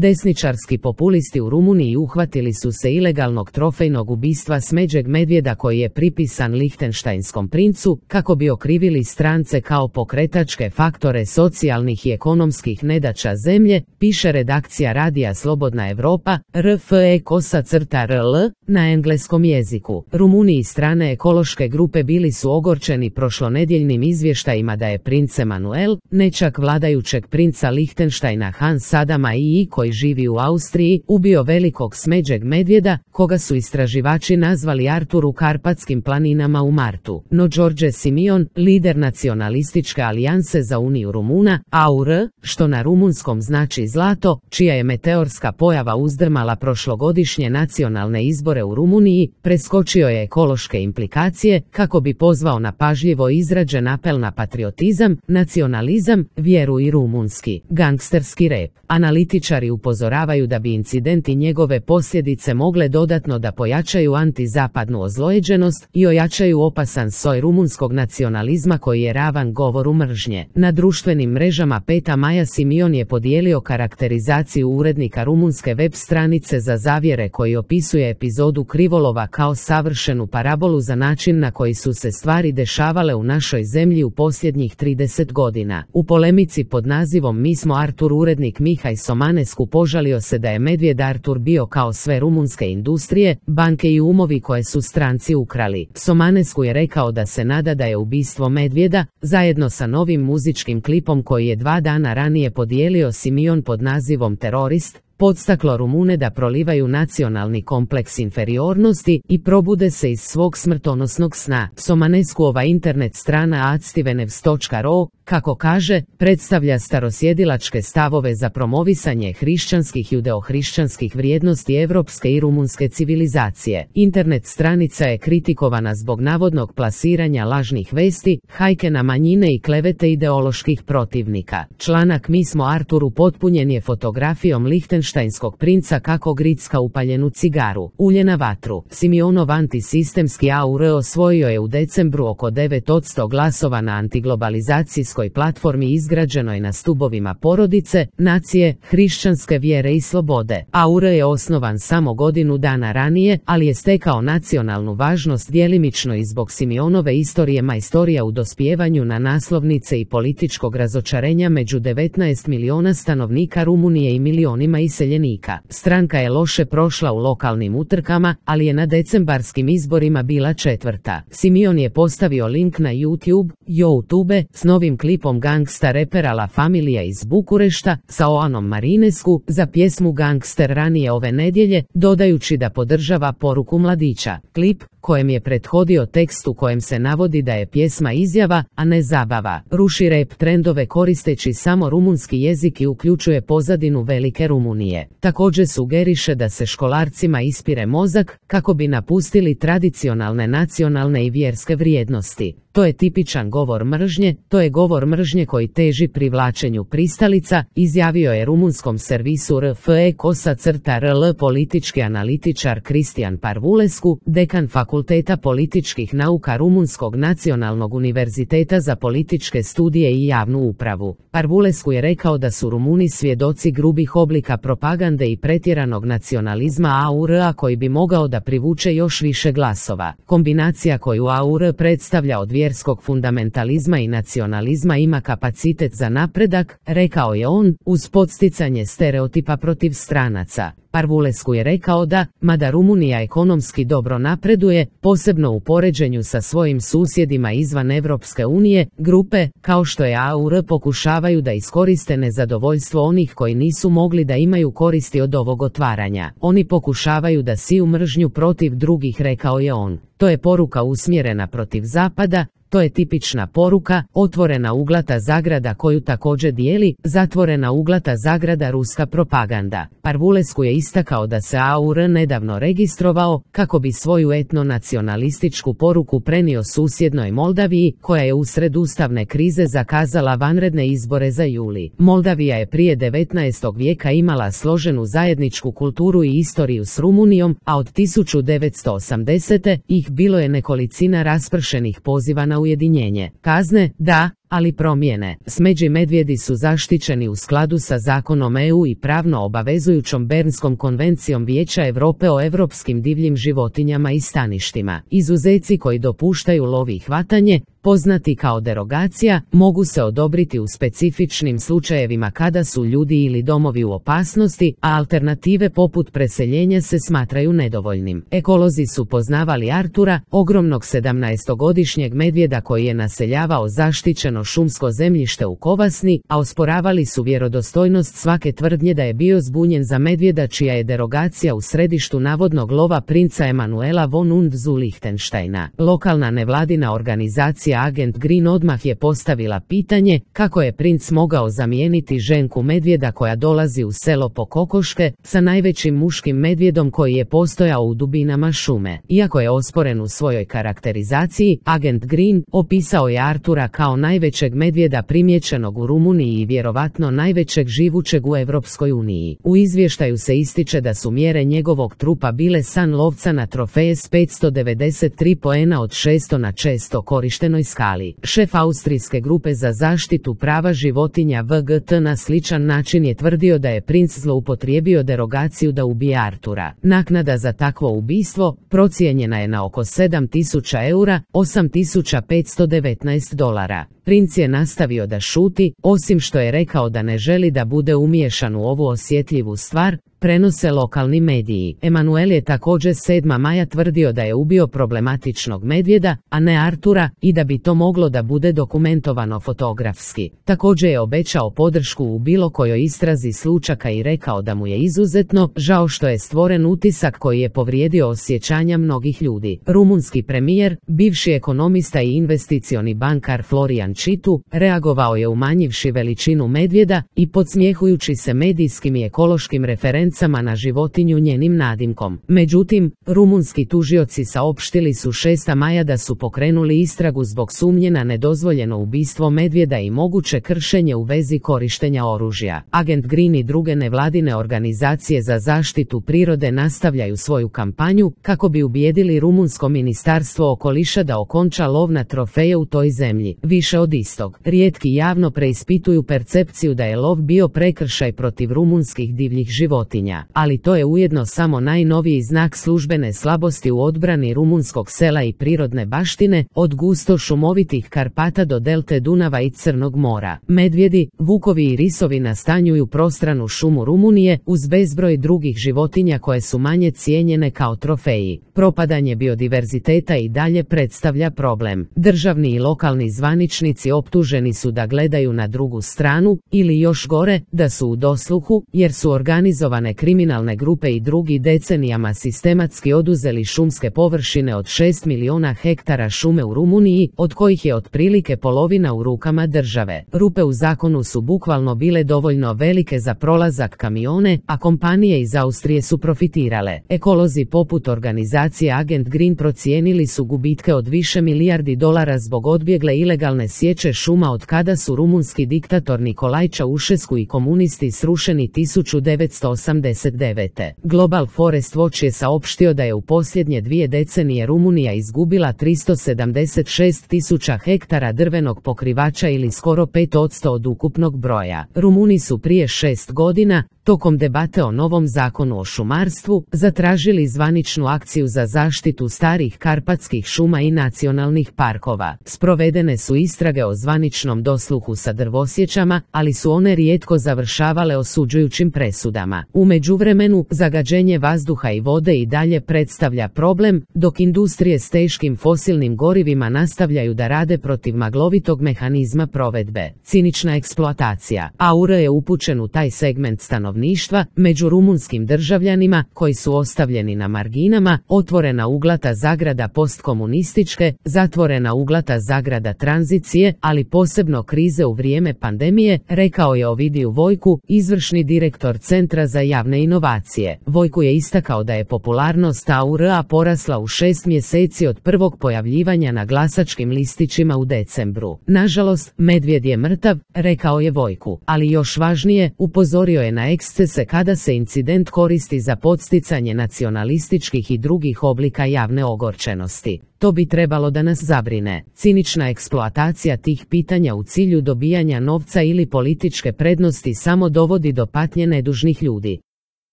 Desničarski populisti u Rumuniji uhvatili su se ilegalnog trofejnog ubistva smeđeg medvjeda koji je pripisan Lihtenštajnskom princu, kako bi okrivili strance kao pokretačke faktore socijalnih i ekonomskih nedaća zemlje, piše redakcija radija Slobodna Evropa, RFE-RL, na engleskom jeziku. Rumuniji strane ekološke grupe bili su ogorčeni prošlonedjeljnim izvještajima da je princ Emanuel, nećak vladajućeg princa Lihtenštajna Hans Adama II koji živi u Austriji, ubio velikog smeđeg medvjeda, koga su istraživači nazvali Artur u Karpatskim planinama u martu. No Đorđe Simion, lider nacionalističke alijanse za Uniju Rumuna, AUR, što na rumunskom znači zlato, čija je meteorska pojava uzdrmala prošlogodišnje nacionalne izbore u Rumuniji, preskočio je ekološke implikacije kako bi pozvao na pažljivo izrađen apel na patriotizam, nacionalizam, vjeru i rumunski gangsterski rep. Analitičari upozoravaju da bi incident i njegove posljedice mogle dodatno da pojačaju antizapadnu ozlojeđenost i ojačaju opasan soj rumunskog nacionalizma koji je ravan govoru mržnje. Na društvenim mrežama 5. maja Simion je podijelio karakterizaciju urednika rumunske web stranice za zavjere koji opisuje epizodu krivolova kao savršenu parabolu za način na koji su se stvari dešavale u našoj zemlji u posljednjih 30 godina. U polemici pod nazivom Mi smo Artur urednik Mihaj Somanescu požalio se da je medvjed Artur bio kao sve rumunske industrije, banke i umovi koje su stranci ukrali. Somanescu je rekao da se nada da je ubistvo medvjeda, zajedno sa novim muzičkim klipom koji je 2 dana ranije podijelio Simion pod nazivom Terorist, podstaklo Rumune da prolivaju nacionalni kompleks inferiornosti i probude se iz svog smrtonosnog sna. Somanescuova internet strana adstivenevs.ro, kako kaže, predstavlja starosjedilačke stavove za promovisanje hrišćanskih i judeohrišćanskih vrijednosti evropske i rumunske civilizacije. Internet stranica je kritikovana zbog navodnog plasiranja lažnih vesti, hajke na manjine i klevete ideoloških protivnika. Članak Mi smo Artur upotpunjen je fotografijom Lihtenštajnskog princa kako gricka upaljenu cigaru, ulje na vatru. Simionov antisistemski AUR osvojio je u decembru oko 9% glasova na antiglobalizacijskoj platformi izgrađenoj na stubovima porodice, nacije, hrišćanske vjere i slobode. AUR je osnovan samo godinu dana ranije, ali je stekao nacionalnu važnost djelimično i zbog Simionove istorije majstorija u dospijevanju na naslovnice i političkog razočarenja među 19 miliona stanovnika Rumunije i milionima iseljenika. Stranka je loše prošla u lokalnim utrkama, ali je na decembarskim izborima bila 4. Simion je postavio link na YouTube s novim klipom gangsta repera La Familia iz Bukurešta sa Oanom Marinescu za pjesmu Gangster ranije ove nedjelje, dodajući da podržava poruku mladića. Klip, kojem je prethodio tekst u kojem se navodi da je pjesma izjava, a ne zabava, ruši rap trendove koristeći samo rumunski jezik i uključuje pozadinu velike Rumunije. Također sugeriše da se školarcima ispire mozak kako bi napustili tradicionalne nacionalne i vjerske vrijednosti. To je tipičan govor mržnje, to je govor mržnje koji teži privlačenju pristalica, izjavio je rumunskom servisu RFE-RL politički analitičar Cristian Parvulescu, dekan Fakulteta političkih nauka Rumunskog nacionalnog univerziteta za političke studije i javnu upravu. Parvulescu je rekao da su Rumuni svjedoci grubih oblika propagande i pretjeranog nacionalizma AUR-a koji bi mogao da privuče još više glasova. Kombinacija koju AUR predstavlja od vjerskog fundamentalizma i nacionalizma ima kapacitet za napredak, rekao je on, uz podsticanje stereotipa protiv stranaca. Parvulescu je rekao da, mada Rumunija ekonomski dobro napreduje, posebno u poređenju sa svojim susjedima izvan Evropske unije, grupe, kao što je AUR pokušavaju da iskoriste nezadovoljstvo onih koji nisu mogli da imaju koristi od ovog otvaranja. Oni pokušavaju da siju mržnju protiv drugih, rekao je on. To je poruka usmjerena protiv Zapada, to je tipična poruka, otvorena uglata zagrada koju također dijeli, zatvorena uglata zagrada ruska propaganda. Parvulescu je istakao da se AUR nedavno registrovao kako bi svoju etnonacionalističku poruku prenio susjednoj Moldaviji, koja je usred ustavne krize zakazala vanredne izbore za juli. Moldavija je prije 19. vijeka imala složenu zajedničku kulturu i istoriju s Rumunijom, a od 1980. ih bilo je nekolicina raspršenih poziva na ujedinjenje. Kazne, da, ali promjene. Smeđi medvjedi su zaštićeni u skladu sa zakonom EU i pravno obavezujućom Bernskom konvencijom Vijeća Europe o europskim divljim životinjama i staništima. Izuzeci koji dopuštaju lov i hvatanje, poznati kao derogacija, mogu se odobriti u specifičnim slučajevima kada su ljudi ili domovi u opasnosti, a alternative poput preseljenja se smatraju nedovoljnim. Ekolozi su poznavali Artura, ogromnog 17-godišnjeg medvjeda koji je naseljavao zaštićeno šumsko zemljište u Kovasni, a osporavali su vjerodostojnost svake tvrdnje da je bio zbunjen za medvjeda čija je derogacija u središtu navodnog lova princa Emanuela von und zu Lichtensteina. Lokalna nevladina organizacija Agent Green odmah je postavila pitanje kako je princ mogao zamijeniti ženku medvjeda koja dolazi u selo po kokoške sa najvećim muškim medvjedom koji je postojao u dubinama šume. Iako je osporen u svojoj karakterizaciji, Agent Green opisao je Artura kao najvećeg medvjeda primijećenog u Rumuniji i vjerovatno najvećeg živućeg u Europskoj uniji. U izvještaju se ističe da su mjere njegovog trupa bile san lovca na trofeje s 593 poena od 600 na često korištenoj skali. Šef austrijske grupe za zaštitu prava životinja VGT na sličan način je tvrdio da je princ zloupotrijebio derogaciju da ubije Artura. Naknada za takvo ubistvo procijenjena je na oko 7.000 eura, $8.519. Princ je nastavio da šuti, osim što je rekao da ne želi da bude umiješan u ovu osjetljivu stvar, prenose lokalni mediji. Emanuel je također 7. maja tvrdio da je ubio problematičnog medvjeda, a ne Artura, i da bi to moglo da bude dokumentovano fotografski. Također je obećao podršku u bilo kojoj istrazi slučaka i rekao da mu je izuzetno žao što je stvoren utisak koji je povrijedio osjećanja mnogih ljudi. Rumunski premijer, bivši ekonomista i investicioni bankar Florian Čitu, reagovao je umanjivši veličinu medvjeda i podsmjehujući se medijskim i ekološkim referencama na životinju njenim nadimkom. Međutim, rumunski tužioci saopštili su 6. maja da su pokrenuli istragu zbog sumnje na nedozvoljeno ubistvo medvjeda i moguće kršenje u vezi korištenja oružja. Agent Green i druge nevladine organizacije za zaštitu prirode nastavljaju svoju kampanju kako bi ubijedili rumunsko ministarstvo okoliša da okonča lov na trofeje u toj zemlji. Više od istog, rijetki javno preispituju percepciju da je lov bio prekršaj protiv rumunskih divljih životinja. Ali to je ujedno samo najnoviji znak službene slabosti u odbrani rumunskog sela i prirodne baštine, od gusto šumovitih Karpata do delte Dunava i Crnog mora. Medvjedi, vukovi i risovi nastanjuju prostranu šumu Rumunije uz bezbroj drugih životinja koje su manje cijenjene kao trofeji. Propadanje biodiverziteta i dalje predstavlja problem. Državni i lokalni zvaničnici optuženi su da gledaju na drugu stranu, ili još gore, da su u dosluhu, jer su organizovane kriminalne grupe i drugi decenijama sistematski oduzeli šumske površine od 6 miliona hektara šume u Rumuniji, od kojih je otprilike polovina u rukama države. Rupe u zakonu su bukvalno bile dovoljno velike za prolazak kamione, a kompanije iz Austrije su profitirale. Ekolozi poput organizacije Agent Green procijenili su gubitke od više milijardi dolara zbog odbjegle ilegalne sječe šuma od kada su rumunski diktator Nikolaj Ceaușescu i komunisti srušeni 1989. Global Forest Watch je saopštio da je u posljednje 2 decenije Rumunija izgubila 376.000 hektara drvenog pokrivača ili skoro 5% od ukupnog broja. Rumuni su prije 6 godina, tokom debate o novom zakonu o šumarstvu, zatražili zvaničnu akciju za zaštitu starih karpatskih šuma i nacionalnih parkova. Sprovedene su istrage o zvaničnom dosluhu sa drvosječama, ali su one rijetko završavale osuđujućim presudama. U međuvremenu, zagađenje vazduha i vode i dalje predstavlja problem, dok industrije s teškim fosilnim gorivima nastavljaju da rade protiv maglovitog mehanizma provedbe. Cinična eksploatacija. AUR je upućen u taj segment stanovništva, među rumunskim državljanima, koji su ostavljeni na marginama, otvorena uglata zagrada postkomunističke, zatvorena uglata zagrada tranzicije, ali posebno krize u vrijeme pandemije, rekao je Ovidiju Vojku, izvršni direktor Centra za javne inovacije. Vojku je istakao da je popularnost AUR-a porasla u 6 mjeseci od prvog pojavljivanja na glasačkim listićima u decembru. Nažalost, medvjed je mrtav, rekao je Vojku, ali još važnije, upozorio je na ekscese kada se incident koristi za podsticanje nacionalističkih i drugih oblika javne ogorčenosti. To bi trebalo da nas zabrine. Cinična eksploatacija tih pitanja u cilju dobijanja novca ili političke prednosti samo dovodi do patnje nedužnih ljudi.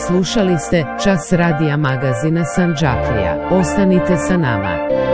Slušali ste Čas radija magazina Sandžaklija. Ostanite sa nama.